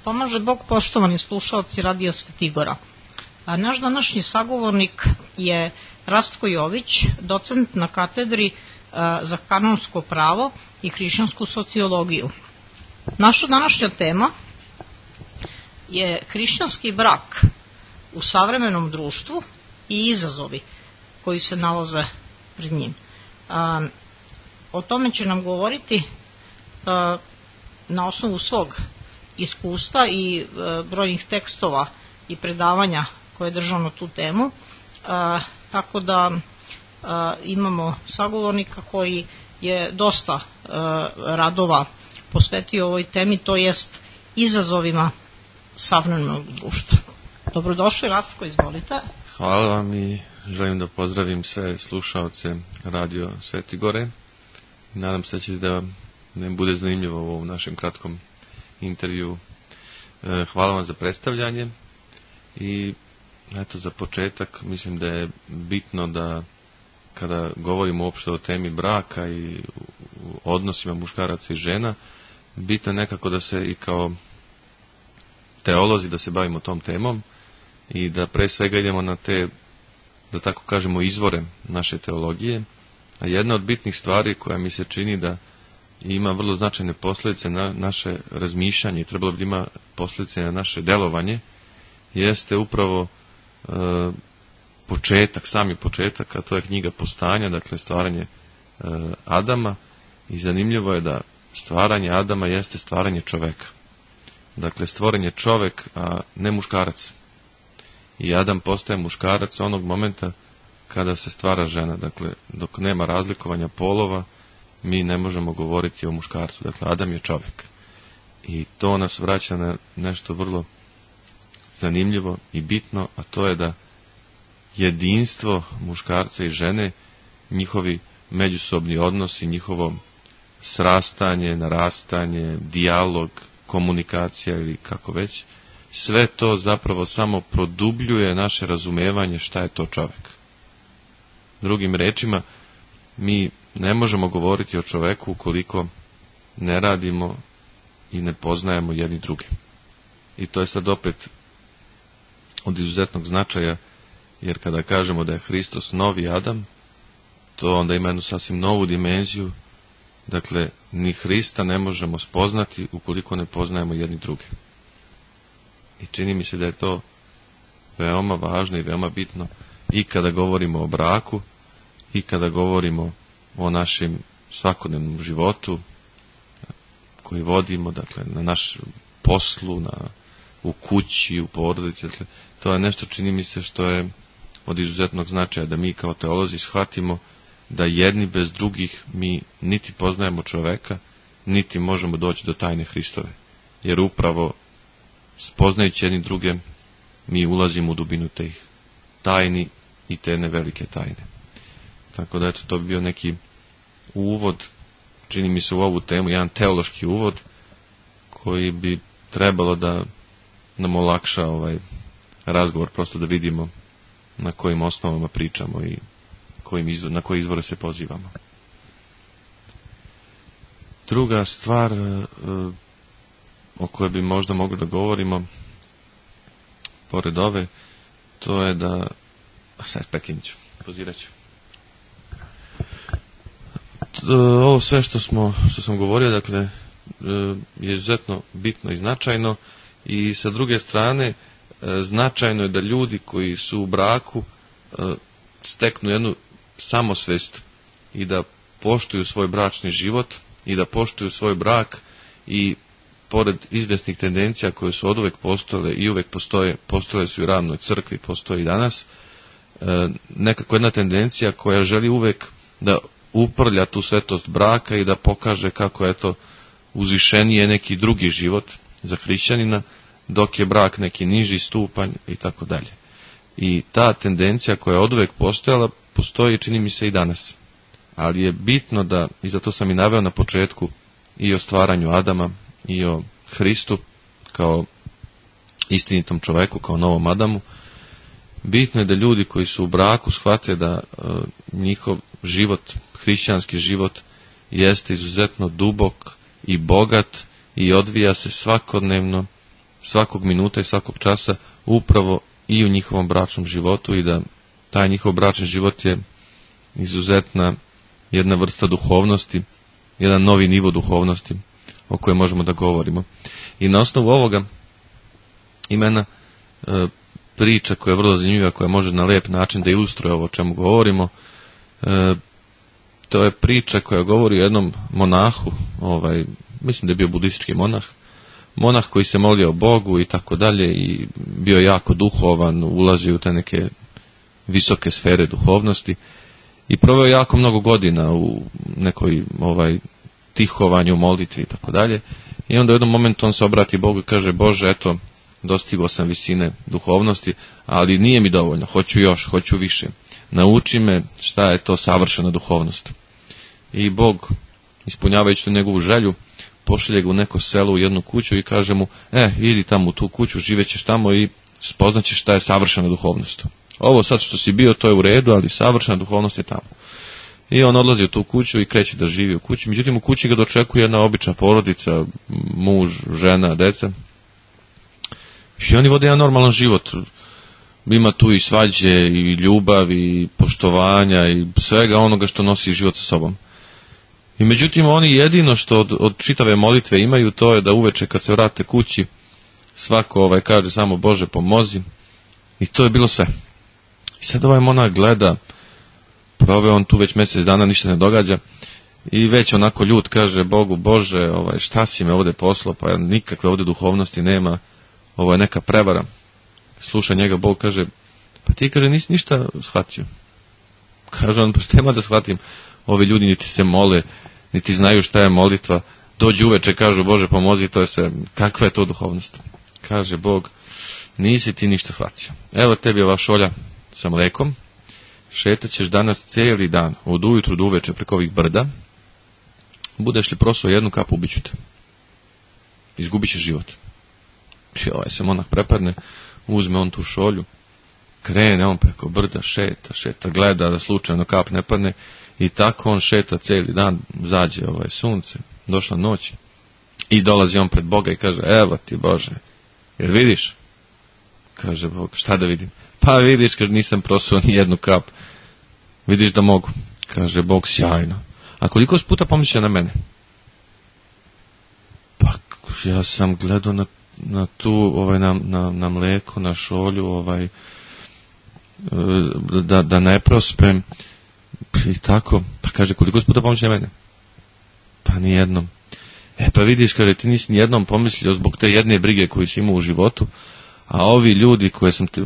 Pomaže Bog, poštovani slušalci Radija Svetigora. Naš današnji sagovornik je Rastko Jović, docent na katedri za kanonsko pravo i hrišćansku sociologiju. Naša današnja tema je hrišćanski brak u savremenom društvu i izazovi koji se nalaze pred njim. O tome će nam govoriti na osnovu svog iskustva i brojnih tekstova i predavanja koje je držao na tu temu, tako da imamo sagovornika koji je dosta radova posvetio ovoj temi, to jest izazovima savremenog društva. Dobrodošli, Rastko, izvolite. Hvala vam i želim da pozdravim sve slušaoce Radio Svetigore. Nadam se da vam ne bude zanimljivo ovo u našem kratkom intervju. Hvala vam za predstavljanje i eto, za početak mislim da je bitno da kada govorimo uopšte o temi braka i odnosima muškaraca i žena, bitno je nekako da se i kao teolozi da se bavimo tom temom i da pre svega idemo na te, da tako kažemo, izvore naše teologije. A jedna od bitnih stvari koja mi se čini da ima vrlo značajne posljedice na naše razmišljanje i trebalo bi ima posljedice na naše delovanje, jeste upravo sami početak, a to je knjiga Postanja, dakle stvaranje Adama, i zanimljivo je da stvaranje Adama jeste stvaranje čoveka. Dakle, stvoren je čovek, a ne muškarac. I Adam postaje muškarac onog momenta kada se stvara žena. Dakle, dok nema razlikovanja polova, mi ne možemo govoriti o muškarcu. Dakle, Adam je čovjek. I to nas vraća na nešto vrlo zanimljivo i bitno, a to je da jedinstvo muškarca i žene, njihovi međusobni odnosi, njihovo srastanje, narastanje, dijalog, komunikacija ili kako već, sve to zapravo samo produbljuje naše razumevanje šta je to čovjek. Drugim rečima, mi ne možemo govoriti o čoveku ukoliko ne radimo i ne poznajemo jedni druge. I to je sad opet od izuzetnog značaja, jer kada kažemo da je Hristos novi Adam, to onda ima jednu sasvim novu dimenziju. Dakle, ni Hrista ne možemo spoznati ukoliko ne poznajemo jedni druge. I čini mi se da je to veoma važno i veoma bitno i kada govorimo o braku i kada govorimo o našem svakodnevnom životu koji vodimo, dakle, na naš poslu, u kući, u porodici. Dakle, to je nešto, čini mi se, što je od izuzetnog značaja, da mi kao teolozi shvatimo da jedni bez drugih mi niti poznajemo čoveka, niti možemo doći do tajne Hristove. Jer upravo spoznajući jedni druge, mi ulazimo u dubinu tih tajni i te nevelike tajne. Tako da, eto, to bi bio neki uvod, čini mi se, u ovu temu, jedan teološki uvod koji bi trebalo da nam olakša ovaj razgovor, prosto da vidimo na kojim osnovama pričamo i na koje izvore se pozivamo. Druga stvar o kojoj bi možda mogli da govorimo pored ove, to je da sad prekinut ću, pozirat ću. Ovo sve što sam govorio, dakle, je izuzetno bitno i značajno, i sa druge strane značajno je da ljudi koji su u braku steknu jednu samosvest i da poštuju svoj bračni život i da poštuju svoj brak, i pored izvjesnih tendencija koje su oduvek postojale i uvek postojale su i u ravnoj crkvi, postoji i danas, nekako jedna tendencija koja želi uvek da uprlja tu svetost braka i da pokaže kako je to uzvišeniji je neki drugi život za hrišćanina, dok je brak neki niži stupanj i tako dalje. I ta tendencija koja je oduvek postojala, postoji, čini mi se, i danas. Ali je bitno da, i zato sam i naveo na početku i o stvaranju Adama i o Hristu kao istinitom čoveku, kao novom Adamu, bitno je da ljudi koji su u braku shvate da njihov život, hrišćanski život, jeste izuzetno dubok i bogat i odvija se svakodnevno svakog minuta i svakog časa upravo i u njihovom bračnom životu i da taj njihov bračni život je izuzetna jedna vrsta duhovnosti, jedan novi nivo duhovnosti o kojem možemo da govorimo. I na osnovu ovoga ima jedna priča koja je vrlo zanimljiva, koja može na lijep način da ilustruje ovo o čemu govorimo. To je priča koja govori o jednom monahu, mislim da je bio budistički monah koji se molio Bogu i tako dalje i bio jako duhovan, ulazio u te neke visoke sfere duhovnosti i proveo jako mnogo godina u nekoj tihovanju, molitvi i tako dalje. I onda u jednom momentu on se obrati Bogu i kaže: Bože, eto, dostigao sam visine duhovnosti, ali nije mi dovoljno, hoću još, hoću više. Nauči me šta je to savršena duhovnost. I Bog, ispunjavajući tu njegovu želju, pošalje ga u neko selo, u jednu kuću i kaže mu: idi tamo u tu kuću, živećeš tamo i spoznaćeš šta je savršena duhovnost. Ovo sad što si bio, to je u redu, ali savršena duhovnost je tamo. I on odlazi u tu kuću i kreće da živi u kući. Međutim, u kući ga dočekuje jedna obična porodica, muž, žena, deca. I oni vode jedan normalan život. Ima tu i svađe, i ljubav, i poštovanja, i svega onoga što nosi život sa sobom. I međutim, oni jedino što od čitave molitve imaju, to je da uveče kad se vrate kući, svako kaže samo: Bože, pomozi. I to je bilo sve. I sad ovaj monah gleda, proveo on tu već mjesec dana, ništa ne događa, i već onako ljut kaže Bogu: Bože, šta si me ovdje poslao, pa nikakve ovdje duhovnosti nema, ovo je neka prevara. Sluša njega, Bog kaže: pa ti, kaže, nisi ništa shvatio. Kaže on: pa šta da shvatim, ovi ljudi niti se mole, niti znaju šta je molitva, dođu uveče, kažu: Bože, pomozi, to je sve, kakva je to duhovnost? Kaže Bog: nisi ti ništa shvatio. Evo tebi ova šolja sa mlekom, šetat ćeš danas cijeli dan, od ujutru do uveče preko ovih brda, budeš li prosuo jednu kapu, ubiću te. Izgubit ćeš život. I ovaj se monah prepadne, uzme on tu šolju, krene on preko brda, šeta, gleda da slučajno kap ne padne, i tako on šeta cijeli dan, zađe sunce, došla noć, i dolazi on pred Boga i kaže: evo ti, Bože, jer vidiš? Kaže Bog: šta da vidim? Pa vidiš, kaže, nisam prosuo ni jednu kap. Vidiš da mogu? Kaže Bog: sjajno. A koliko puta pomisliš na mene? Pa ja sam gledao na tu, na mleko, na šolju, da ne prospem. I tako. Pa kaže: koliko puta pomisliš na mene? Pa nijednom. Pa vidiš, kaže, ti nisi nijednom pomislio zbog te jedne brige koju si imao u životu, a ovi ljudi koje sam te,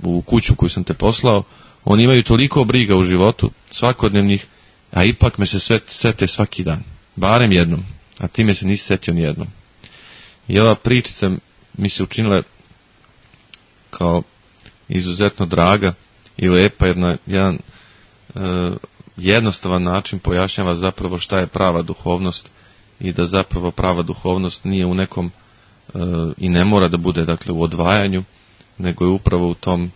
u kuću koju sam te poslao, oni imaju toliko briga u životu, svakodnevnih, a ipak me se sete svaki dan. Barem jednom. A ti me se nisi setio nijednom. I ova pričica mi se učinila kao izuzetno draga i lepa, jedan jednostavan način pojašnjava zapravo šta je prava duhovnost i da zapravo prava duhovnost nije u nekom i ne mora da bude, dakle, u odvajanju, nego je upravo u tom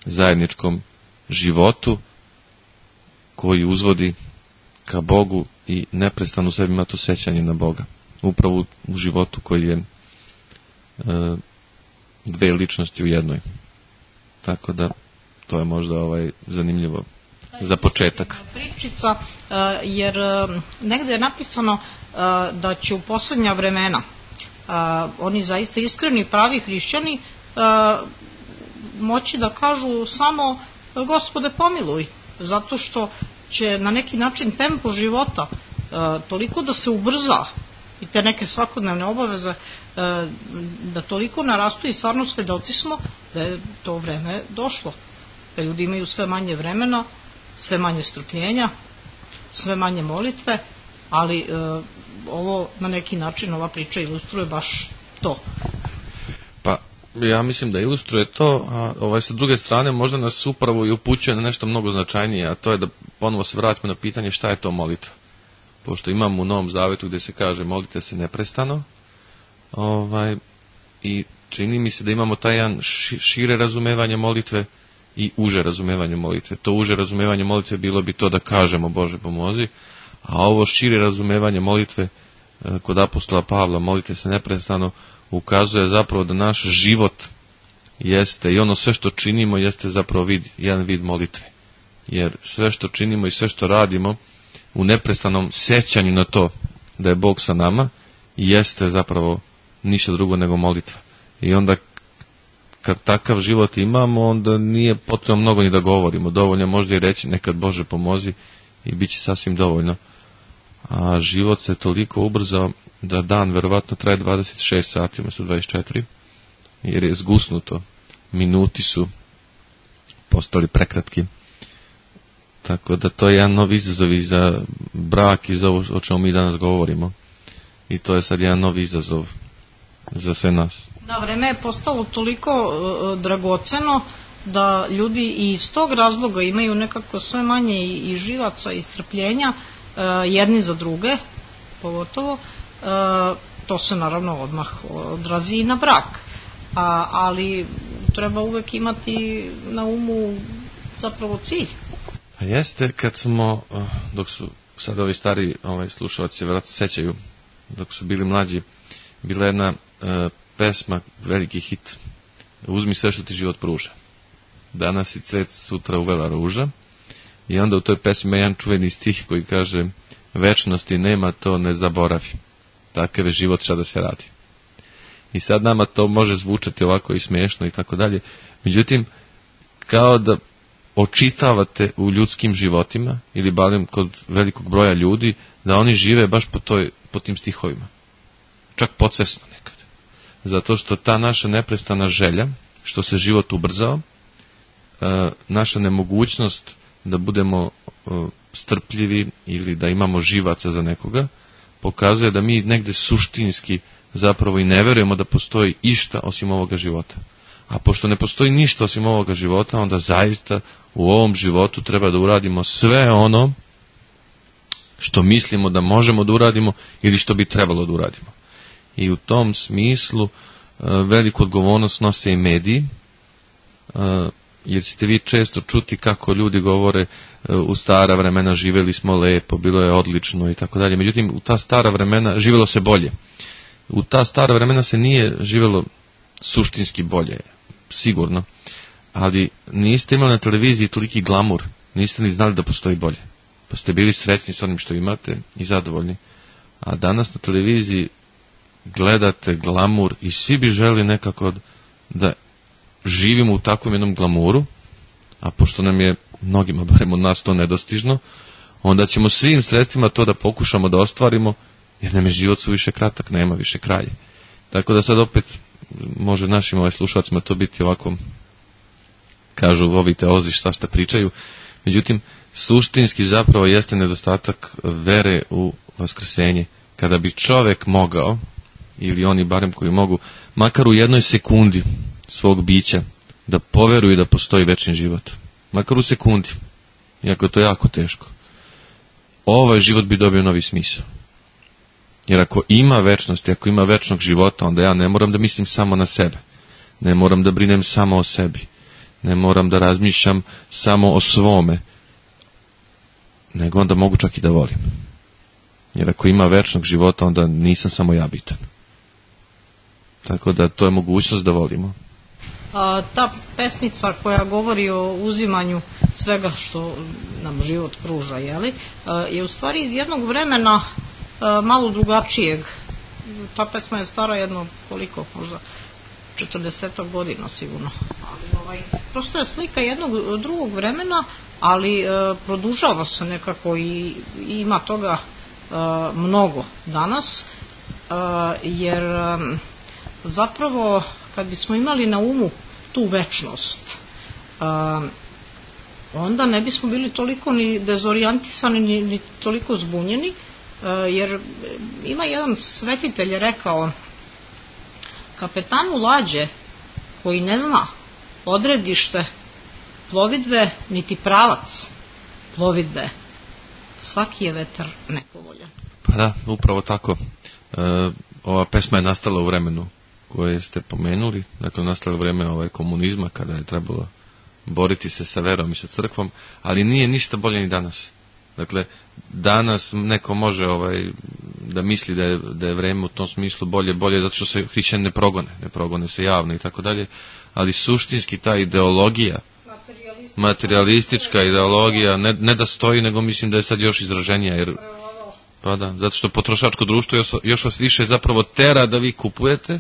zajedničkom životu koji uzvodi ka Bogu i neprestano u sebi ima to sećanje na Boga. Upravo u životu koji je dve ličnosti u jednoj. Tako da to je možda zanimljivo za početak. Pričica, jer negdje je napisano da će u posljednja vremena oni zaista iskreni pravi hrišćani moći da kažu samo: Gospode, pomiluj, zato što će na neki način tempo života toliko da se ubrza i te neke svakodnevne obaveze da toliko narastu i stvarno svedoci smo da je to vreme došlo, da ljudi imaju sve manje vremena, sve manje strpljenja, sve manje molitve, ali ovo na neki način, ova priča ilustruje baš to. Pa ja mislim da ilustruje to, a sa druge strane možda nas upravo i upućuje na nešto mnogo značajnije, a to je da ponovo se vratimo na pitanje šta je to molitva. Pošto imamo u Novom Zavetu gdje se kaže: molite se neprestano, i čini mi se da imamo taj jedan šire razumevanje molitve i uže razumevanje molitve. To uže razumevanje molitve bilo bi to da kažemo: Bože, pomozi, a ovo šire razumevanje molitve kod apostola Pavla, molite se neprestano, ukazuje zapravo da naš život jeste i ono sve što činimo jeste zapravo jedan vid molitve. Jer sve što činimo i sve što radimo u neprestanom sjećanju na to da je Bog sa nama jeste zapravo ništa drugo nego molitva. I onda kad takav život imamo, onda nije potrebno mnogo ni da govorimo. Dovoljno je možda i reći nekad Bože pomozi i bit će sasvim dovoljno. A život se toliko ubrzao da dan verovatno traje 26 sati umjesto 24, jer je zgusnuto. Minuti su postali prekratki. Tako da to je jedan novi izazov i za brak i za ovo o čemu mi danas govorimo. I to je sad jedan novi izazov za sve nas. Da, vreme je postalo toliko dragoceno da ljudi i iz tog razloga imaju nekako sve manje i živaca i strpljenja jedni za druge, pogotovo. To se naravno odmah odrazi i na brak. Ali treba uvek imati na umu zapravo cilj. A jeste, kad smo, dok su sad ovi stari slušalci vjerojatno sećaju, dok su bili mlađi, bila jedna pesma, veliki hit, Uzmi sve što ti život pruža. Danas i cvet, sutra uvela ruža. I onda u toj pesmi ima jedan čuveni stih koji kaže: večnosti nema, to ne zaboravi. Takav je život, šta da se radi. I sad nama to može zvučati ovako i smiješno i tako dalje. Međutim, kao da očitavate u ljudskim životima, ili barem kod velikog broja ljudi, da oni žive baš po tim stihovima. Čak podsvesno nekad. Zato što ta naša neprestana želja, što se život ubrzao, naša nemogućnost da budemo strpljivi ili da imamo živaca za nekoga, pokazuje da mi negde suštinski zapravo i ne verujemo da postoji išta osim ovoga života. A pošto ne postoji ništa osim ovoga života, onda zaista u ovom životu treba da uradimo sve ono što mislimo da možemo da uradimo ili što bi trebalo da uradimo. I u tom smislu veliku odgovornost nose i mediji, jer ćete vi često čuti kako ljudi govore u stara vremena živjeli smo lepo, bilo je odlično i tako dalje. Međutim, u ta stara vremena živjelo se bolje. U ta stara vremena se nije živjelo suštinski bolje, sigurno, ali niste imali na televiziji toliki glamur, niste ni znali da postoji bolje, pa ste bili srećni s onim što imate i zadovoljni. A danas na televiziji gledate glamur i svi bi želi nekako da živimo u takvom jednom glamuru, a pošto nam je mnogima, barem od nas, to nedostižno, onda ćemo svim sredstvima to da pokušamo da ostvarimo, jer nam je život suviše kratak, nema više kraja. Tako da sad opet može našim slušalcima to biti ovako, kažu ovi teolozi šta pričaju, međutim suštinski zapravo jeste nedostatak vere u vaskrsenje. Kada bi čovek mogao, ili oni barem koji mogu, makar u jednoj sekundi svog bića, da poveruju da postoji večni život, makar u sekundi, iako je to jako teško, ovaj život bi dobio novi smisao. Jer ako ima večnosti, ako ima večnog života, onda ja ne moram da mislim samo na sebe, ne moram da brinem samo o sebi, ne moram da razmišljam samo o svome, nego onda mogu čak i da volim. Jer ako ima večnog života, onda nisam samo ja bitan. Tako da to je mogućnost da volimo. Ta pesmica koja govori o uzimanju svega što nam život pruža, je u stvari iz jednog vremena malo drugačijeg. Ta pesma je stara jedno, koliko, možda 40 godina sigurno. Ali prosto je slika jednog drugog vremena, ali produžava se nekako i ima toga mnogo danas, jer zapravo kad bismo imali na umu tu večnost, onda ne bismo bili toliko ni dezorijentisani ni toliko zbunjeni, jer ima jedan svetitelj rekao: kapetanu lađe koji ne zna odredište plovidbe niti pravac plovidbe, svaki je vetar nepovoljan. Pa da, upravo tako. Ova pesma je nastala u vremenu koje ste pomenuli, dakle nastala u vreme komunizma, kada je trebalo boriti se sa verom i sa crkvom, ali nije ništa bolje ni danas. Dakle, danas neko može da misli da je vreme u tom smislu bolje zato što se hrišćani ne progone se javno i tako dalje, ali suštinski ta ideologija, materialistička ideologija, ne da stoji, nego mislim da je sad još izraženija, jer pa da, zato što potrošačko društvo još vas više zapravo tera da vi kupujete,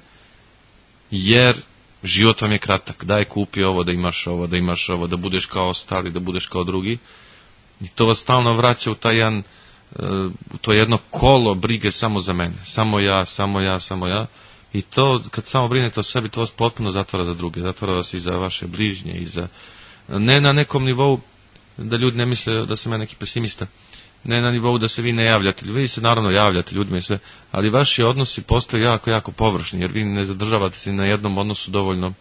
jer život vam je kratak, daj kupi ovo, da imaš ovo, da budeš kao ostali, da budeš kao drugi, i to vas stalno vraća u to jedno kolo brige samo za mene, samo ja, i to kad samo brinete o sebi, to vas potpuno zatvara za druge, zatvara vas i za vaše bližnje, i za, ne na nekom nivou, da ljudi ne misle da sam ja neki pesimista, ne na nivou da se vi ne javljate, vi se naravno javljate ljudima i sve, ali vaši odnosi postaju jako, jako površni, jer vi ne zadržavate se na jednom odnosu dovoljno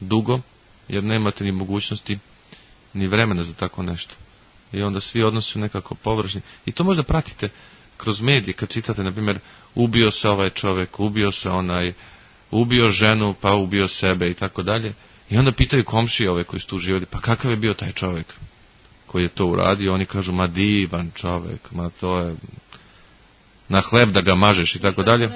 dugo, jer nemate ni mogućnosti, ni vremena za tako nešto. I onda svi odnosi su nekako površni. I to možda pratite kroz medije, kad čitate, na primjer, ubio se ovaj čovjek, ubio se onaj, ubio ženu, pa ubio sebe i tako dalje. I onda pitaju komšije koji su tu živjeli, pa kakav je bio taj čovjek koji je to uradio? Oni kažu, ma divan čovjek, ma to je na hleb da ga mažeš i tako dalje.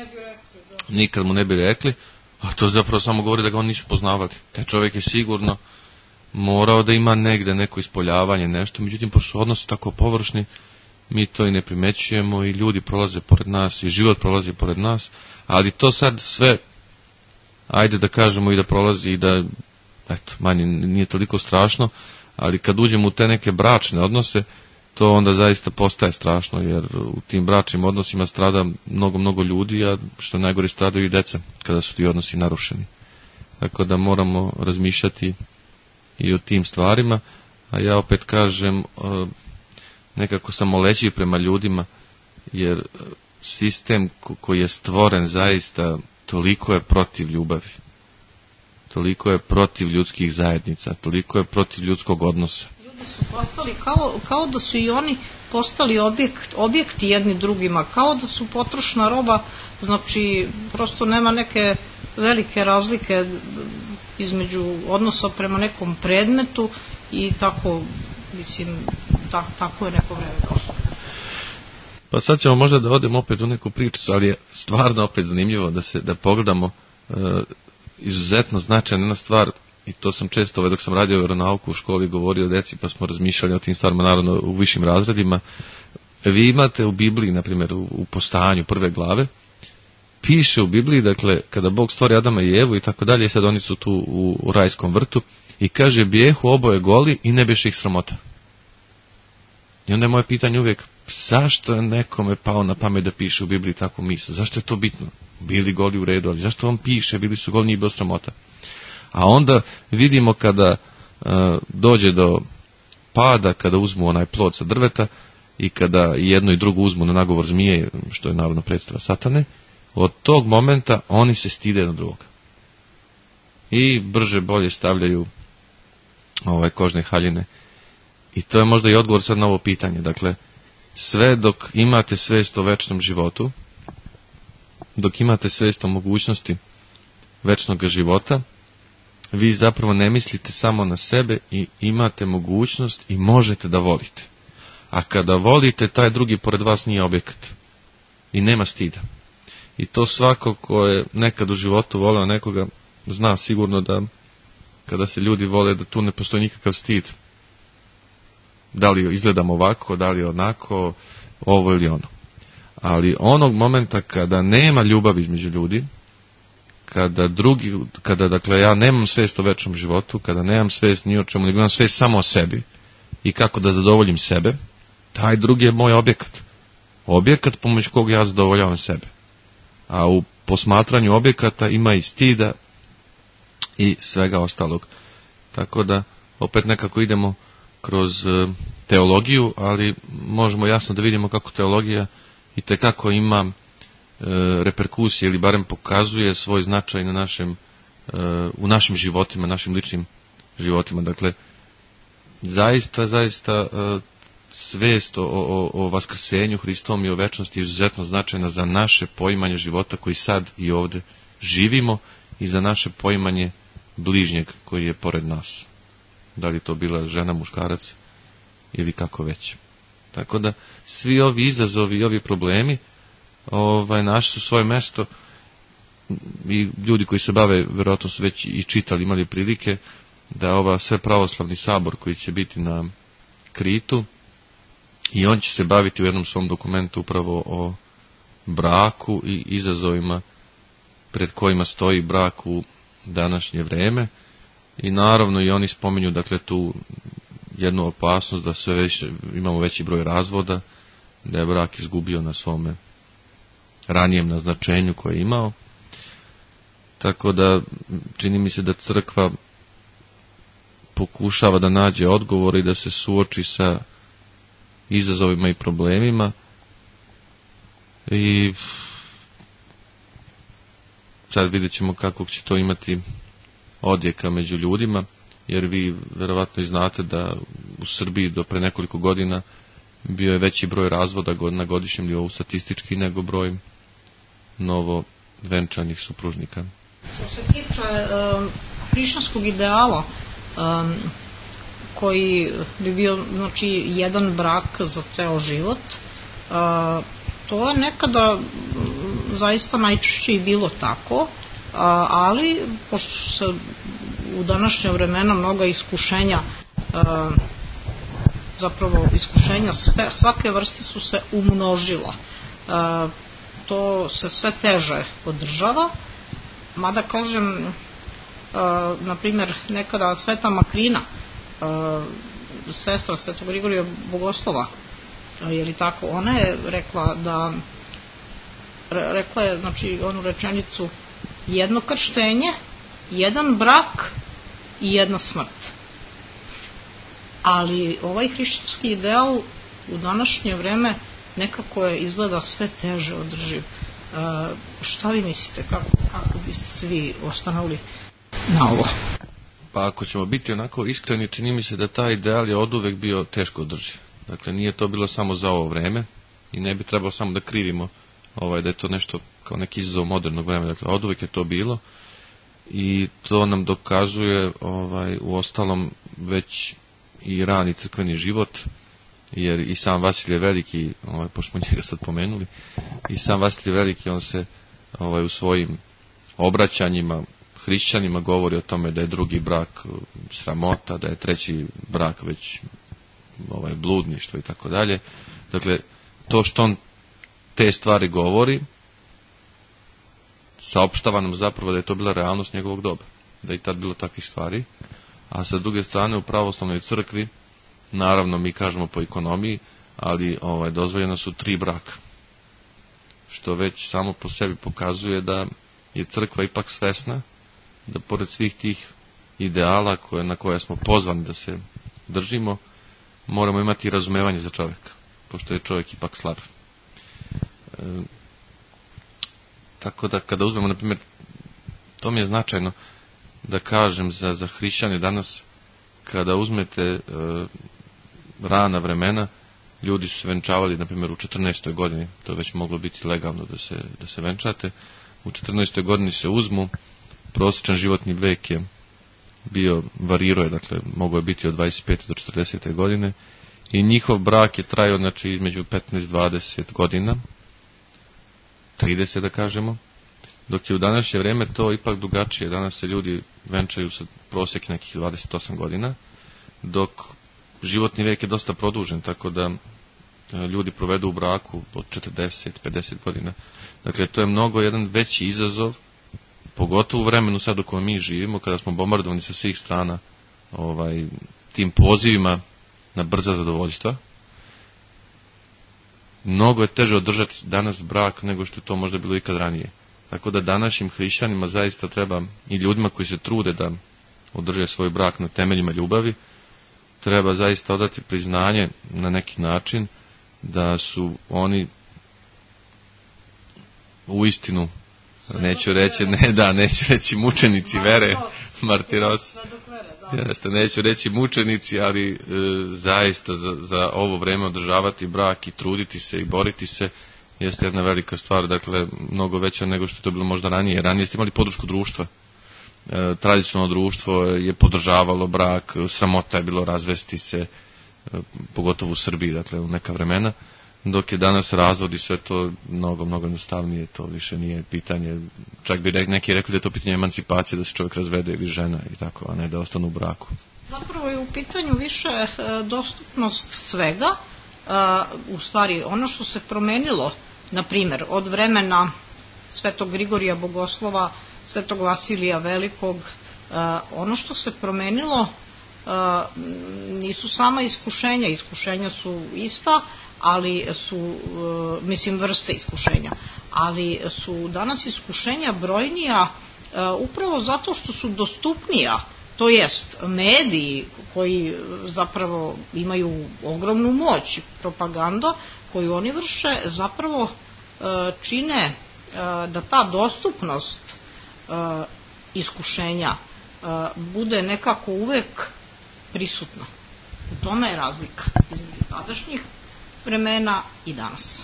Nikad mu ne bi rekli, a to zapravo samo govori da ga oni nisu poznavali. Taj čovjek je sigurno morao da ima negde neko ispoljavanje, nešto, međutim, pošto su odnosi tako površni, mi to i ne primećujemo i ljudi prolaze pored nas i život prolazi pored nas, ali to sad sve, ajde da kažemo i da prolazi i da, eto, manje nije toliko strašno, ali kad uđemo u te neke bračne odnose, to onda zaista postaje strašno, jer u tim bračnim odnosima strada mnogo ljudi, a što najgore stradaju i deca, kada su ti odnosi narušeni. Tako da moramo razmišljati i o tim stvarima, a ja opet kažem, nekako samolećiv prema ljudima, jer sistem koji je stvoren zaista toliko je protiv ljubavi, toliko je protiv ljudskih zajednica, toliko je protiv ljudskog odnosa. Ljudi su postali kao da su i oni postali objekti jedni drugima, kao da su potrošna roba, znači prosto nema neke velike razlike između odnosa prema nekom predmetu i tako, mislim, tako je neko vreme došlo. Pa sad ćemo možda da odemo opet u neku priču, ali je stvarno opet zanimljivo da pogledamo izuzetno značajna jedna stvar, i to sam često dok sam radio veronauku u školi govorio deci, pa smo razmišljali o tim stvarima, naravno u višim razredima. Vi imate u Bibliji, na primjer u Postajanju prve glave, piše u Bibliji, dakle, kada Bog stvori Adama i Evu i tako dalje, sad oni su tu u rajskom vrtu, i kaže, bijehu oboje goli i ne biše ih sramota. I onda je moje pitanje uvijek, zašto je nekome pao na pamet da piše u Bibliji takvu misl? Zašto je to bitno? Bili goli u redu, ali zašto on piše, bili su goli, nije bilo sramota? A onda vidimo kada dođe do pada, kada uzmu onaj plod sa drveta i kada jedno i drugo uzmu na nagovor zmije, što je naravno predstava satane, od tog momenta oni se stide jedno drugog. I brže bolje stavljaju kožne haljine. I to je možda i odgovor sad na ovo pitanje. Dakle, sve dok imate svest o večnom životu, dok imate svest o mogućnosti večnog života, vi zapravo ne mislite samo na sebe i imate mogućnost i možete da volite. A kada volite, taj drugi pored vas nije objekat. I nema stida. I to svako ko je nekad u životu voleo nekoga, zna sigurno da kada se ljudi vole, da tu ne postoji nikakav stid. Da li izgledamo ovako, da li onako, ovo ili ono. Ali onog momenta kada nema ljubavi između ljudi, kada dakle ja nemam svest o večnom životu, kada nemam svest ni o čemu, nego imam svest samo o sebi i kako da zadovoljim sebe, taj drugi je moj objekat. Objekat pomoć kog ja zadovoljavam sebe. A u posmatranju objekata ima i stida i svega ostalog. Tako da opet nekako idemo kroz teologiju, ali možemo jasno da vidimo kako teologija itekako ima reperkusije ili barem pokazuje svoj značaj na u našim životima, našim ličnim životima. Dakle, zaista svest o vaskrsenju Hristovom i o večnosti je izuzetno značajna za naše poimanje života koji sad i ovdje živimo i za naše poimanje bližnjeg koji je pored nas. Da li to bila žena, muškarac ili kako već. Tako da svi ovi izazovi i ovi problemi našli su svoje mesto i ljudi koji se bave, vjerojatno su već i čitali, imali prilike da ova sve pravoslavni sabor koji će biti na Kritu, i on će se baviti u jednom svom dokumentu upravo o braku i izazovima pred kojima stoji brak u današnje vreme. I naravno i oni spominju dakle tu jednu opasnost da imamo veći broj razvoda, da je brak izgubio na svome ranijem naznačenju koje je imao. Tako da čini mi se da crkva pokušava da nađe odgovor i da se suoči sa izazovima i problemima, i sad vidjet ćemo kako će to imati odjeka među ljudima, jer vi verovatno i znate da u Srbiji do pre nekoliko godina bio je veći broj razvoda na godišnjem nivou statistički nego broj novo venčanih supružnika. Što se tiče hrišćanskog ideala, koji bi bio znači jedan brak za ceo život, to je nekada zaista najčešće i bilo tako, ali pošto se u današnje vremena mnoga iskušenja, zapravo iskušenja svake vrste su se umnožila, to se sve teže održava, mada kažem, na primjer nekada Sveta Makrina, sestra Svetog Grigorija Bogoslova, je li tako, ona je rekla je znači onu rečenicu: jedno krštenje, jedan brak i jedna smrt. Ali ovaj hrišćanski ideal u današnje vreme nekako je izgleda sve teže održiv. Šta vi mislite, kako biste se vi osvrnuli na ovo? Pa ako ćemo biti onako iskreni, čini mi se da taj ideal je oduvek bio teško održiv. Dakle, nije to bilo samo za ovo vreme i ne bi trebalo samo da krivimo da je to nešto kao neki izazov modernog vremena. Dakle, oduvek je to bilo i to nam dokazuje u ostalom već i rani crkveni život, jer i sam Vasilije Veliki, pošto smo njega sad pomenuli, i sam Vasilije Veliki, on se u svojim obraćanjima hrišćanima govori o tome da je drugi brak sramota, da je treći brak već bludništvo i tako dalje. Dakle, to što on te stvari govori, saopštava nam zapravo da je to bila realnost njegovog doba, da je i tad bilo takvih stvari. A sa druge strane, u pravoslavnoj crkvi, naravno mi kažemo po ekonomiji, ali dozvoljena su 3 braka, što već samo po sebi pokazuje da je crkva ipak svesna da pored svih tih ideala na koje smo pozvani da se držimo, moramo imati razumevanje za čovjeka, pošto je čovjek ipak slab. Tako da kada uzmemo, na primjer, to mi je značajno da kažem za hrišćane danas, kada uzmete rana vremena, ljudi su se venčavali, na primjer, u 14. godini, to je već moglo biti legalno da se venčate, u 14. godini se uzmu, prosječan životni vek je bio, varirao je, dakle, mogao je biti od 25. do 40. godine, i njihov brak je trajao, znači, između 15-20 godina, 30 da kažemo, dok je u današnje vrijeme to ipak drugačije. Danas se ljudi venčaju sa prosjek nekih 28 godina, dok životni vijek je dosta produžen, tako da ljudi provedu u braku od 40-50 godina. Dakle, to je mnogo jedan veći izazov, pogotovo u vremenu sad u kojem mi živimo, kada smo bombardovani sa svih strana tim pozivima na brza zadovoljstva. Mnogo je teže održati danas brak nego što je to možda bilo ikad ranije. Tako da današnjim hrišćanima zaista treba, i ljudima koji se trude da održe svoj brak na temeljima ljubavi, treba zaista odati priznanje na neki način da su oni uistinu, neću reći mučenici vere, martiros, neću reći mučenici, ali zaista za ovo vreme održavati brak i truditi se i boriti se jeste jedna velika stvar, dakle mnogo veća nego što je to bilo možda ranije. Ranije ste imali podršku društva, tradicionalno društvo je podržavalo brak, sramota je bilo razvesti se, pogotovo u Srbiji, dakle u neka vremena, dok je danas razvod i sve to mnogo jednostavnije, to više nije pitanje, čak bi neki rekli da je to pitanje emancipacije, da se čovjek razvede ili žena i tako, a ne da ostanu u braku. Zapravo je u pitanju više dostupnost svega, u stvari ono što se promenilo, na primjer, od vremena Svetog Grigorija Bogoslova, Svetog Vasilija Velikog, ono što se promenilo nisu sama iskušenja, iskušenja su ista, ali su, vrste iskušenja, ali su danas iskušenja brojnija upravo zato što su dostupnija, to jest mediji koji zapravo imaju ogromnu moć, propaganda koju oni vrše zapravo čine da ta dostupnost iskušenja bude nekako uvek prisutna. U tome je razlika između tadašnjih vremena i danas.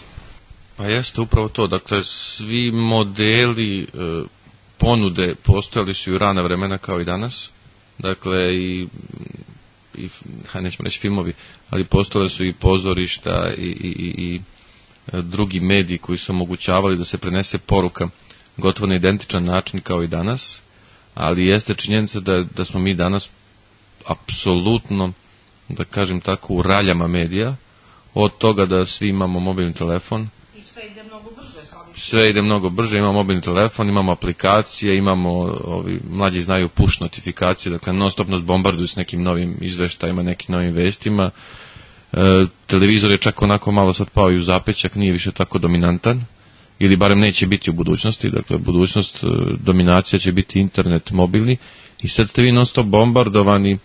Pa jeste upravo to, dakle svi modeli ponude postojali su i u rana vremena kao i danas, dakle i nećemo reći filmovi, ali postojali su i pozorišta i drugi mediji koji su omogućavali da se prenese poruka gotovo na identičan način kao i danas, ali jeste činjenica da smo mi danas apsolutno, da kažem tako, u raljama medija, od toga da svi imamo mobilni telefon. I sve ide mnogo brže. Sve ide mnogo brže, imamo mobilni telefon, imamo aplikacije, imamo, mlađi znaju push notifikacije, dakle non stop nas bombarduju s nekim novim izveštajima, nekim novim vestima. Televizor je čak onako malo sad pao i u zapećak, nije više tako dominantan, ili barem neće biti u budućnosti, dakle budućnost dominacija će biti internet mobilni i sad ste vi non stop bombardovani,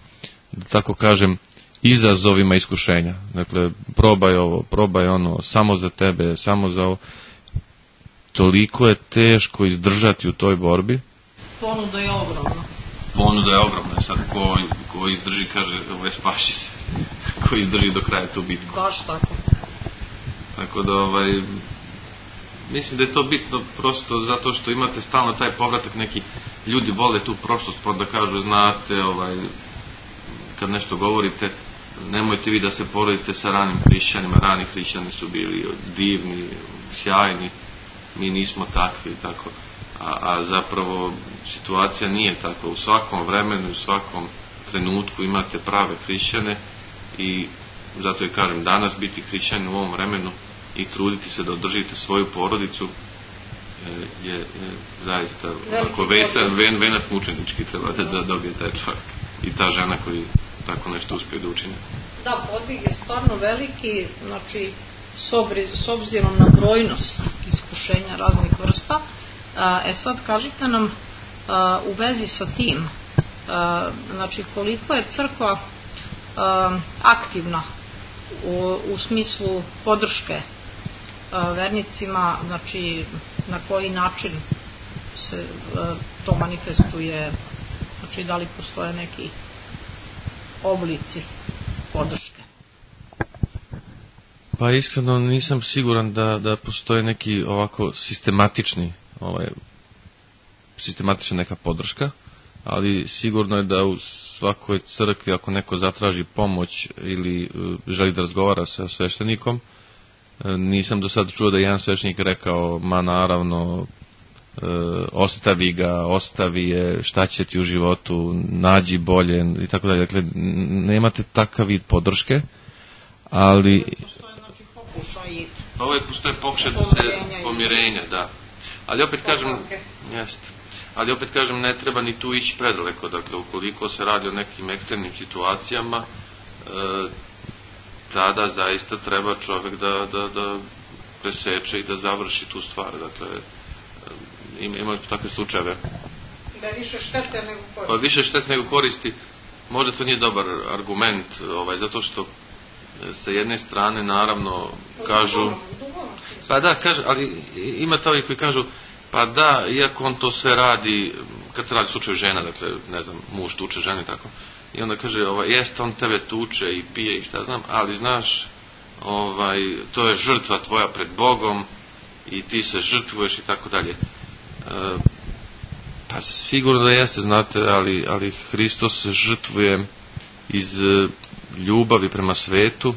da tako kažem, izazovima iskušenja. Dakle, probaj ovo, probaj ono, samo za tebe, samo za ovo. Toliko je teško izdržati u toj borbi. Ponuda je ogromna. Ponuda je ogromna. Sad, ko izdrži, kaže, spaši se. Ko izdrži do kraja tu bitku. Baš tako. Tako da, mislim da je to bitno prosto zato što imate stalno taj povratak, neki ljudi vole tu prošlost, pa da kažu, znate, kad nešto govorite, nemojte vi da se poredite sa ranim hrišćanima, rani hrišćani su bili divni, sjajni, mi nismo takvi, tako. A zapravo situacija nije takva. U svakom vremenu, u svakom trenutku imate prave hrišćane i zato je kažem, danas biti hrišćanin u ovom vremenu i truditi se da održite svoju porodicu je zaista venac mučenički treba da dobije taj čovjek i ta žena koji tako nešto uspije da učine. Da, podvig je stvarno veliki, znači s obzirom na brojnost iskušenja raznih vrsta. Sad kažite nam u vezi sa tim, znači koliko je crkva aktivna u smislu podrške vernicima, znači na koji način se to manifestuje, znači da li postoje neki oblici podrške? Pa iskreno nisam siguran da postoje neki ovako sistematična neka podrška, ali sigurno je da u svakoj crkvi ako neko zatraži pomoć ili želi da razgovara sa sveštenikom, nisam do sada čuo da jedan sveštenik rekao, ma naravno, ostavi je, šta će ti u životu, nađi bolje i tako dalje. Dakle, nemate takav vid podrške, ali postoje pokušaj da se pomirenja, da. Ali opet kažem, ne treba ni tu ići predaleko. Dakle, ukoliko se radi o nekim ekstremnim situacijama, tada zaista treba čovjek da preseče i da završi tu stvar. Dakle, imaju takve slučajeve. Da je više štete nego koristi. Pa više štete nego koristi. Možda to nije dobar argument, zato što sa jedne strane naravno kažu, pa da, ali ima to koji kažu, pa da, iako on to sve radi, kad se radi slučaju žena, dakle, ne znam, muž tuče žene, tako, i onda kaže, jeste, on tebe tuče i pije i šta znam, ali znaš, to je žrtva tvoja pred Bogom i ti se žrtvuješ i tako dalje. Pa sigurno da jeste, znate, ali Hristos se žrtvuje iz ljubavi prema svetu,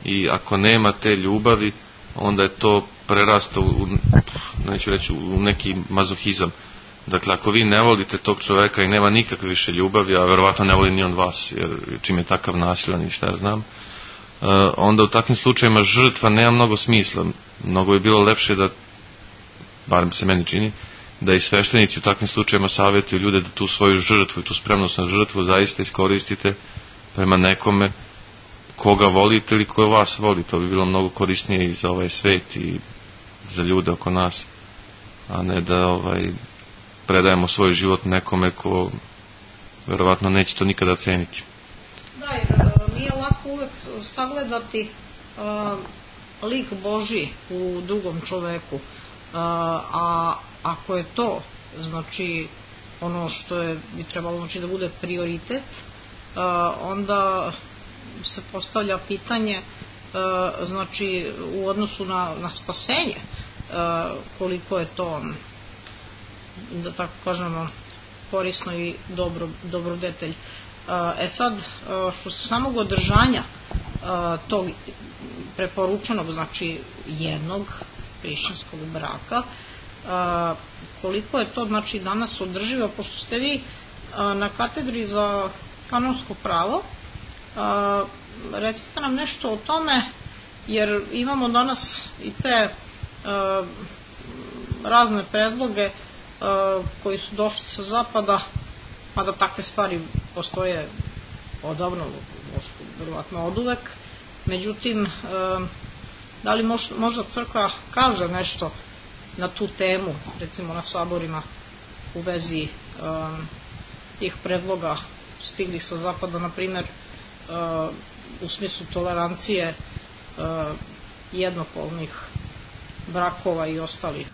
i ako nema te ljubavi, onda je to prerasto neću reći u neki mazohizam. Dakle, ako vi ne volite tog čoveka i nema nikakve više ljubavi, a verovatno ne voli ni on vas, jer čim je takav nasilan i šta ja znam, onda u takvim slučajima žrtva nema mnogo smisla. Mnogo je bilo lepše da, barem se meni čini, da i sveštenici u takvim slučajima savjetuju ljude da tu svoju žrtvu i tu spremnost na žrtvu zaista iskoristite prema nekome koga volite ili koje vas voli. To bi bilo mnogo korisnije i za ovaj svet i za ljude oko nas, a ne da predajemo svoj život nekome ko verovatno neće to nikada ceniti. Da, nije lako uvek sagledati lik Božji u drugom čoveku, a ako je to, znači, ono što bi trebalo, znači, da bude prioritet, onda se postavlja pitanje, znači, u odnosu na spasenje, koliko je to, da tako kažemo, korisno i dobrodetelj. Sad, što se samog održanja tog preporučenog, znači, jednog hrišćanskog braka, koliko je to, znači, danas održivo, pošto ste vi na katedri za kanonsko pravo, recite nam nešto o tome, jer imamo danas i te razne predloge koji su došli sa zapada, mada takve stvari postoje odavno, vjerovatno oduvek. Međutim, da li možda crkva kaže nešto na tu temu, recimo na saborima, u vezi tih predloga stiglih sa zapada, na primjer, u smislu tolerancije jednopolnih brakova i ostalih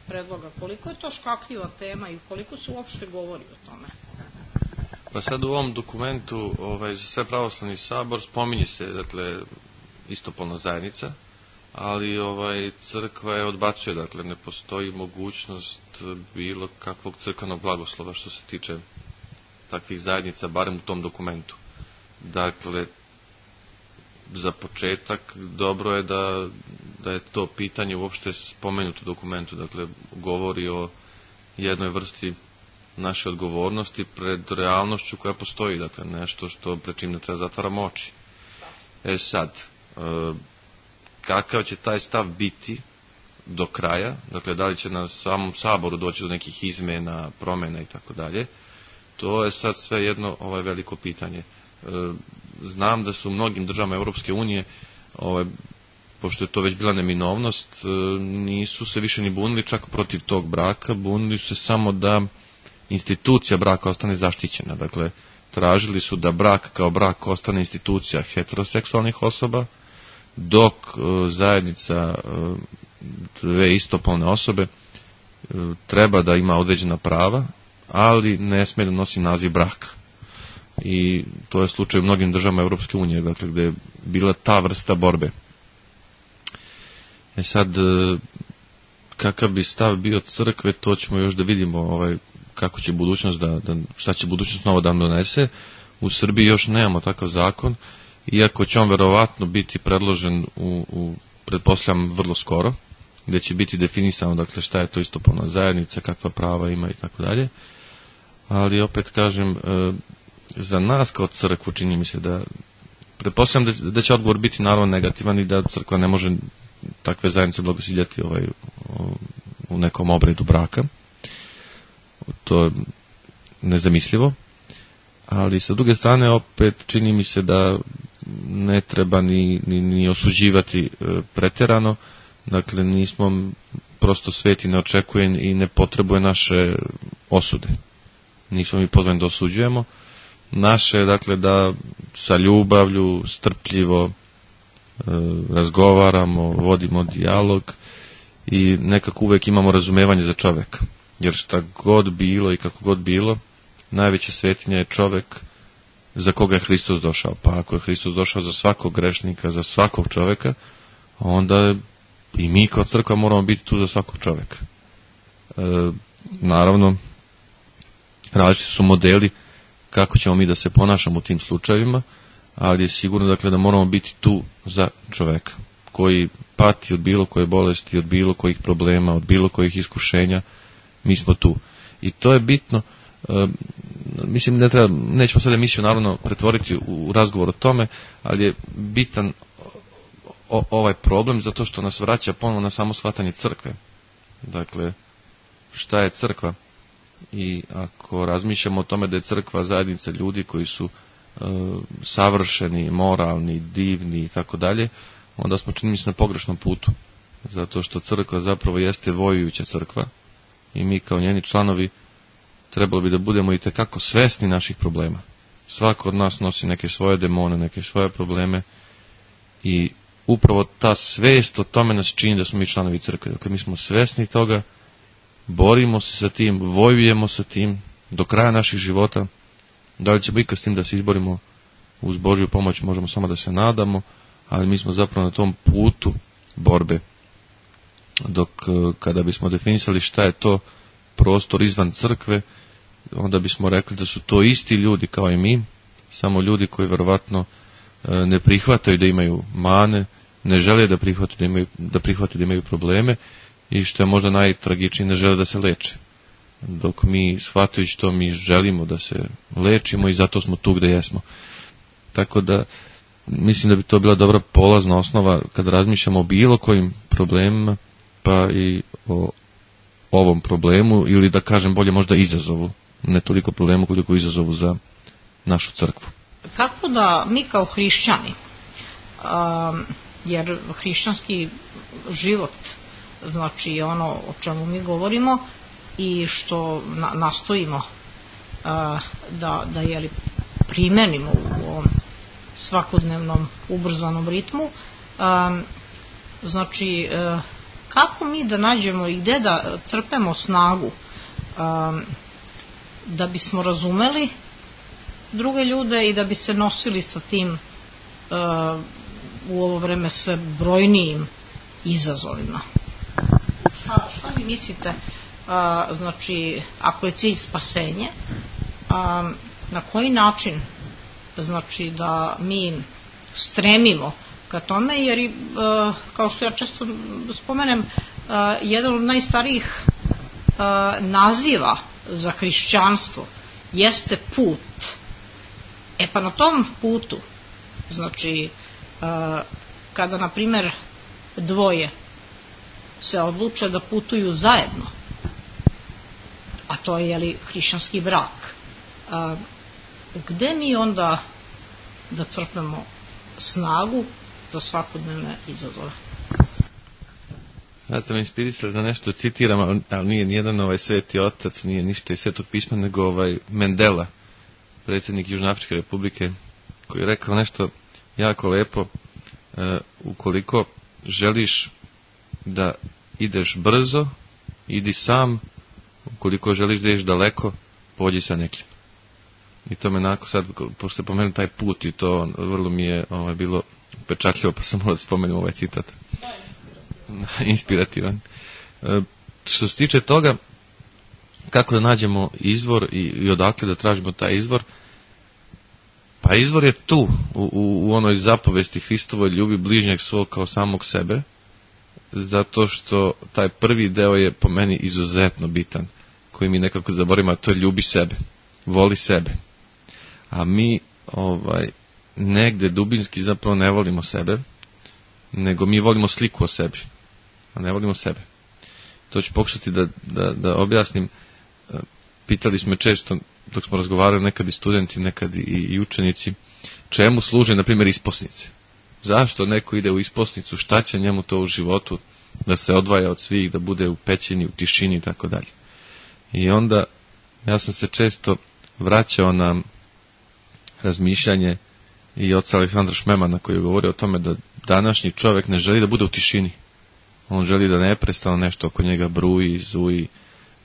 predloga. Koliko je to škakljiva tema i koliko se uopšte govori o tome? Pa sad u ovom dokumentu za sve pravoslavni sabor spominje se, dakle, istopolna zajednica, ali crkva je odbacuje, dakle, ne postoji mogućnost bilo kakvog crkvenog blagoslova što se tiče takvih zajednica, barem u tom dokumentu. Dakle, za početak dobro je da je to pitanje uopšte spomenuto u dokumentu, dakle, govori o jednoj vrsti naše odgovornosti pred realnošću koja postoji, dakle, nešto što pred čim ne treba zatvaramo oči. Sad, kakav će taj stav biti do kraja, dakle, da li će na samom saboru doći do nekih izmena, promjena i tako dalje, to je sad sve jedno veliko pitanje. Znam da su u mnogim državama Europske unije, pošto je to već bila neminovnost, nisu se više ni bunili čak protiv tog braka, bunili su se samo da institucija braka ostane zaštićena. Dakle, tražili su da brak kao brak ostane institucija heteroseksualnih osoba, dok zajednica dve istopolne osobe treba da ima određena prava, ali ne sme da nosi naziv braka. I to je slučaj u mnogim državama Europske unije, dakle, gde je bila ta vrsta borbe. Sad, kakav bi stav bio crkve, to ćemo još da vidimo, kako će budućnost šta će budućnost novo da donese. U Srbiji još nemamo takav zakon, iako će on verovatno biti predložen pretpostavljam vrlo skoro, gde će biti definisano, dakle, šta je to istopolna zajednica, kakva prava ima i tako dalje. Ali opet kažem, za nas kao crkvu čini mi se da pretpostavljam da će odgovor biti naravno negativan i da crkva ne može takve zajednice blagosiljati u nekom obredu braka. To je nezamislivo. Ali sa druge strane opet čini mi se da ne treba ni osuđivati pretjerano. Dakle, nismo prosto sveti, ne očekuje i ne potrebuje naše osude. Nismo mi pozvani da osuđujemo. Naše, dakle, da sa ljubavlju, strpljivo razgovaramo, vodimo dijalog i nekako uvek imamo razumevanje za čoveka. Jer šta god bilo i kako god bilo, najveća svetinja je čovek za koga je Hristos došao. Pa ako je Hristos došao za svakog grešnika, za svakog čoveka, onda i mi kao crkva moramo biti tu za svakog čoveka. Naravno, različiti su modeli kako ćemo mi da se ponašamo u tim slučajevima, ali je sigurno dakle da moramo biti tu za čoveka koji pati od bilo koje bolesti, od bilo kojih problema, od bilo kojih iskušenja, mi smo tu. I to je bitno. Mislim, nećemo sad emisiju naravno pretvoriti u razgovor o tome, ali je bitan ovaj problem zato što nas vraća ponovno na samo shvatanje crkve. Dakle, šta je crkva? I ako razmišljamo o tome da je crkva zajednica ljudi koji su savršeni, moralni, divni i tako dalje, onda smo čini mi se na pogrešnom putu. Zato što crkva zapravo jeste vojujuća crkva i mi kao njeni članovi trebalo bi da budemo i tekako svesni naših problema. Svako od nas nosi neke svoje demone, neke svoje probleme i upravo ta svest o tome nas čini da smo mi članovi crkve. Dakle, mi smo svesni toga, borimo se sa tim, vojujemo sa tim do kraja naših života. Da li ćemo ikad s tim da se izborimo uz Božju pomoć, možemo samo da se nadamo, ali mi smo zapravo na tom putu borbe. Dok kada bismo definisali šta je to prostor izvan crkve, onda bismo rekli da su to isti ljudi kao i mi, samo ljudi koji verovatno ne prihvataju da imaju mane, ne žele da prihvate da imaju probleme i što je možda najtragičnije, ne žele da se leče. Dok mi, shvatajući to, mi želimo da se lečimo i zato smo tu gde jesmo. Tako da mislim da bi to bila dobra polazna osnova kada razmišljamo o bilo kojim problemima, pa i o ovom problemu, ili da kažem bolje možda izazovu, ne toliko problemu koliko izazovu za našu crkvu. Kako da mi kao hrišćani, jer hrišćanski život, znači ono o čemu mi govorimo i što nastojimo da jeli, primenimo u ovom svakodnevnom ubrzanom ritmu, znači kako mi da nađemo i gde da crpemo snagu da bismo razumeli druge ljude i da bi se nosili sa tim u ovo vreme sve brojnijim izazovima. Šta vi mislite, znači ako je cilj spasenje, na koji način znači da mi stremimo ka tome, jer kao što ja često spomenem, jedan od najstarijih naziva za hrišćanstvo jeste put. Pa na tom putu, znači kada na primjer dvoje se odluče da putuju zajedno, a to je jeli hrišćanski brak, gde mi onda da crpemo snagu za svakodnevne izazove? Sad ste me inspirisali da nešto citiram, ali nije nijedan sveti otac, nije ništa iz Svetog pisma, nego Mandela, predsjednik Južnoafričke republike, koji je rekao nešto jako lepo: ukoliko želiš da ideš brzo, idi sam, ukoliko želiš da ideš daleko, pođi sa nekim. I to me onako sad, pošto ste pomenuli taj put i to vrlo mi je bilo pečatljivo, pa sam morao da spomenem ovaj citat. Inspirativan. Što se tiče toga, kako da nađemo izvor i odakle da tražimo taj izvor, pa izvor je tu, u onoj zapovesti Hristovoj: ljubi bližnjeg svog kao samog sebe, zato što taj prvi deo je po meni izuzetno bitan, koji mi nekako zaboravimo, a to je ljubi sebe, voli sebe. A mi negde dubinski zapravo ne volimo sebe, nego mi volimo sliku o sebi, a ne volimo sebe. To ću pokušati da objasnim. Pitali smo često, dok smo razgovarali, nekad i studenti, nekad i učenici, čemu služe, na primjer, isposnice. Zašto neko ide u isposnicu, šta će njemu to u životu, da se odvaja od svih, da bude u pećini, u tišini i tako dalje. I onda ja sam se često vraćao na razmišljanje i oca Aleksandra Šmemana, koji je govorio o tome da današnji čovjek ne želi da bude u tišini. On želi da neprestano nešto oko njega bruji, zuji,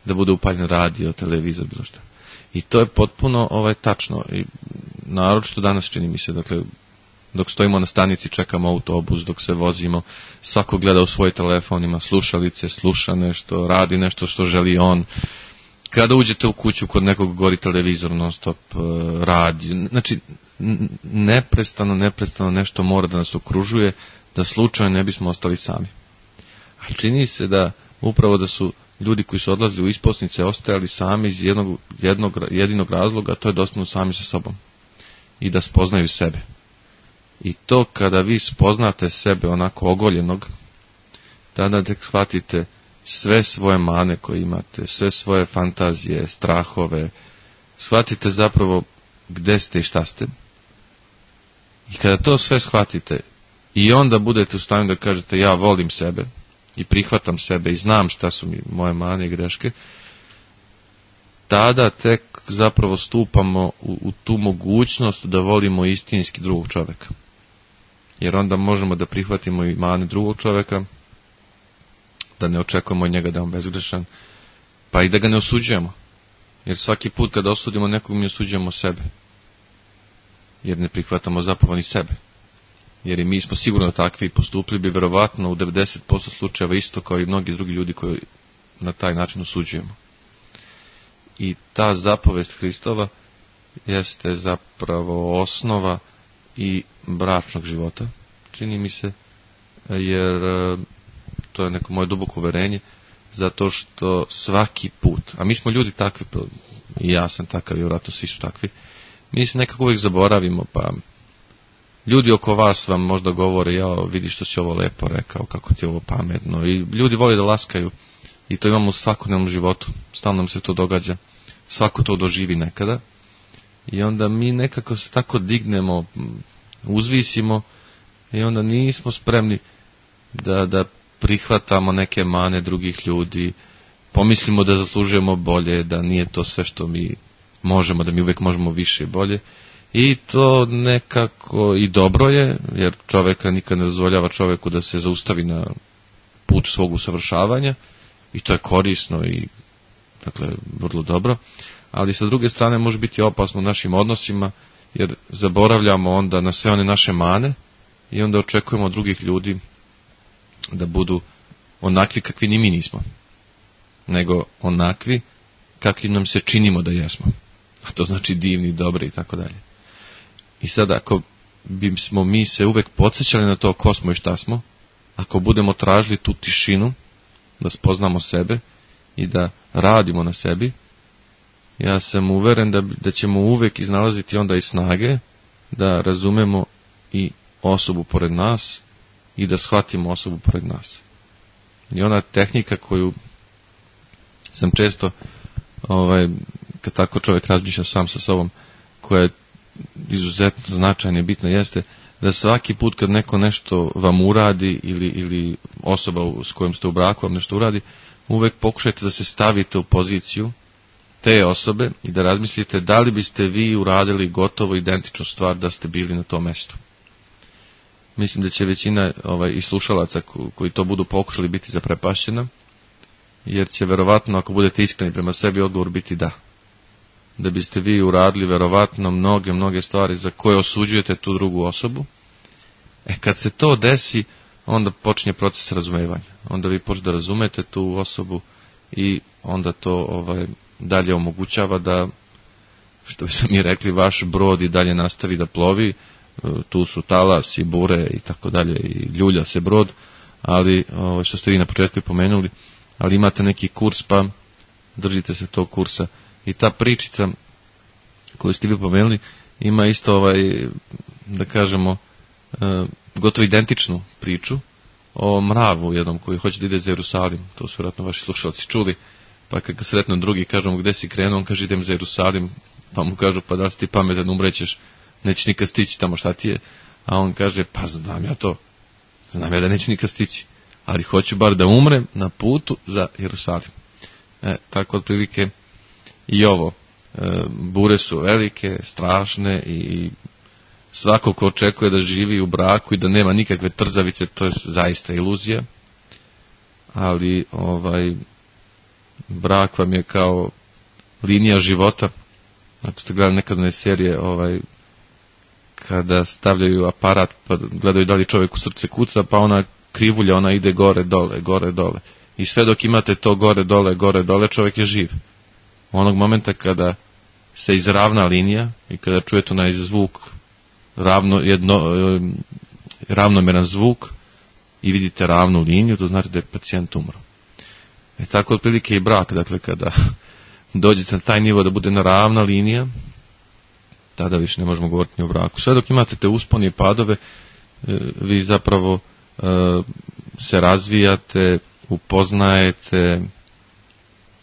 da bude upaljen radio, televizor, bilo što. I to je potpuno tačno. I naročito danas čini mi se, dakle, dok stojimo na stanici, čekamo autobus, dok se vozimo, svako gleda u svoj telefon, ima slušalice, sluša nešto, radi nešto što želi on. kada uđete u kuću kod nekog gori televizor non stop radi, znači neprestano nešto mora da nas okružuje, da slučajno ne bismo ostali sami. A čini se da upravo da su ljudi koji su odlazili u isposnice ostajali sami iz jedinog razloga, to je da ostanu sami sa sobom i da spoznaju sebe. I to kada vi spoznate sebe onako ogoljenog, tada tek shvatite sve svoje mane koje imate, sve svoje fantazije, strahove, shvatite zapravo gde ste i šta ste. I kada to sve shvatite i onda budete u stanju da kažete ja volim sebe i prihvatam sebe i znam šta su mi moje mane i greške, tada tek zapravo stupamo u tu mogućnost da volimo istinski drugog čoveka. Jer onda možemo da prihvatimo i mane drugog čoveka, da ne očekujemo od njega da je on bezgrešan, pa i da ga ne osuđujemo. Jer svaki put kada osudimo nekog, mi osuđujemo sebe. Jer ne prihvatamo zapravo ni sebe. Jer i mi smo sigurno takvi i postupili bi verovatno u 90% slučajeva isto kao i mnogi drugi ljudi koji na taj način osuđujemo. I ta zapovest Hristova jeste zapravo osnova i bračnog života, čini mi se, jer to je neko moje duboko uverenje, zato što svaki put, a mi smo ljudi takvi, i ja sam takav, i vjerojatno svi su takvi, mi se nekako uvijek zaboravimo, pa ljudi oko vas vam možda govore, ja vidi što si ovo lepo rekao, kako ti je ovo pametno, i ljudi vole da laskaju, i to imamo u svakodnevnom životu, stalno nam se to događa, svako to doživi nekada, i onda mi nekako se tako dignemo, uzvisimo, i onda nismo spremni da prihvatamo neke mane drugih ljudi, pomislimo da zaslužujemo bolje, da nije to sve što mi možemo, da mi uvijek možemo više i bolje. I to nekako i dobro je, jer čoveka nikad ne dozvoljava čoveku da se zaustavi na put svog usavršavanja, i to je korisno i dakle vrlo dobro, ali sa druge strane može biti opasno u našim odnosima, jer zaboravljamo onda na sve one naše mane i onda očekujemo od drugih ljudi da budu onakvi kakvi ni mi nismo, nego onakvi kakvi nam se činimo da jesmo, a to znači divni, dobri i tako dalje. I sad ako bismo mi se uvek podsjećali na to ko smo i šta smo, ako budemo tražili tu tišinu, da spoznamo sebe i da radimo na sebi, ja sam uveren da ćemo uvek iznalaziti onda i snage da razumemo i osobu pored nas i da shvatimo osobu pored nas. I ona tehnika koju sam često, kad tako čovjek razmišlja sam sa sobom, koja je izuzetno značajna i bitna, jeste da svaki put kad neko nešto vam uradi ili osoba s kojom ste u braku vam nešto uradi, uvek pokušajte da se stavite u poziciju te osobe i da razmislite da li biste vi uradili gotovo identičnu stvar da ste bili na tom mestu. Mislim da će većina i slušalaca koji to budu pokušali biti zaprepašćena, jer će verovatno, ako budete iskreni prema sebi, odgovor biti da. Da biste vi uradili verovatno mnoge stvari za koje osuđujete tu drugu osobu. Kad se to desi, onda počinje proces razumevanja. Onda vi počnete da razumete tu osobu i onda to dalje omogućava da, što bi mi rekli, vaš brod i dalje nastavi da plovi. Tu su talas i bure i tako dalje i ljulja se brod, ali što ste vi na početku pomenuli, ali imate neki kurs, pa držite se tog kursa. I ta pričica koju ste vi pomenuli ima isto da kažemo gotovo identičnu priču o mravu jednom koji hoće da ide za Jerusalim. To su vjerojatno vaši slušalci čuli, pa kad ga sretnu drugi, kažu mu gde si krenuo, on kaže idem za Jerusalim, pa mu kažu pa da si ti pametan, umrećeš, nećeš nikad stići tamo, šta ti je? A on kaže pa znam ja da neću nikad stići, ali hoću bar da umrem na putu za Jerusalim. Tako otprilike i ovo, bure su velike, strašne i svako ko očekuje da živi u braku i da nema nikakve trzavice, to je zaista iluzija, ali brak vam je kao linija života. Ako ste gledali nekad one serije kada stavljaju aparat pa gledaju da li čovjek u srce kuca, pa ona krivulja, ona ide gore dole i sve dok imate to gore dole, čovjek je živ. onog momenta kada se izravna linija i kada čujete onaj zvuk, ravnomeran zvuk i vidite ravnu liniju, to znači da je pacijent umro. Tako otprilike i brak, dakle kada dođete na taj nivo da bude ravna linija, tada više ne možemo govoriti ni o braku. Sve dok imate te uspone i padove, vi zapravo se razvijate, upoznajete,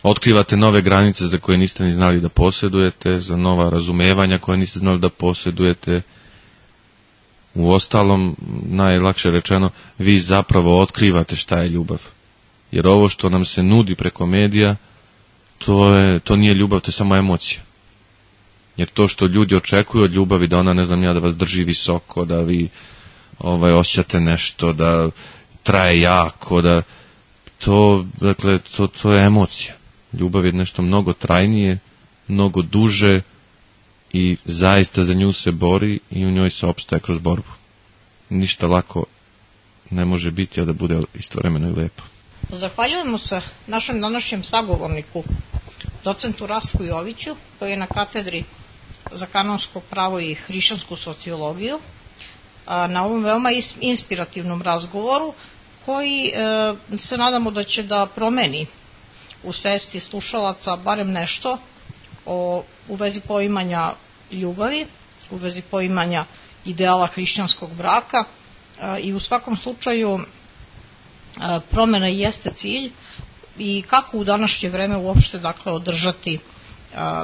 otkrivate nove granice za koje niste ni znali da posjedujete, za nova razumevanja koje niste znali da posjedujete. U ostalom, najlakše rečeno, vi zapravo otkrivate šta je ljubav. Jer ovo što nam se nudi preko medija, to nije ljubav, to je samo emocija. Jer to što ljudi očekuju od ljubavi, da ona, ne znam ja, da vas drži visoko, da vi osjećate nešto, da traje jako, da to je emocija. Ljubav je nešto mnogo trajnije, mnogo duže i zaista za nju se bori i u njoj se opstaje kroz borbu. Ništa lako ne može biti, a da bude istovremeno i lepo. Zahvaljujemo se našem današnjem sagovorniku, docentu Rastku Joviću, koji je na katedri za kanonsko pravo i hrišćansku sociologiju, na ovom veoma inspirativnom razgovoru, koji se nadamo da će da promeni u svesti slušalaca barem nešto u vezi poimanja ljubavi, u vezi poimanja ideala hrišćanskog braka i u svakom slučaju promjena jeste cilj i kako u današnje vreme uopšte dakle održati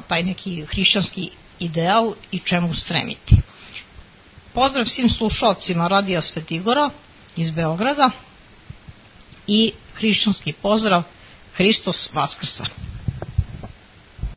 taj neki hrišćanski ideal i čemu stremiti. Pozdrav svim slušalcima Radija Svetigora iz Beograda i hrišćanski pozdrav Hristos Vaskrsa.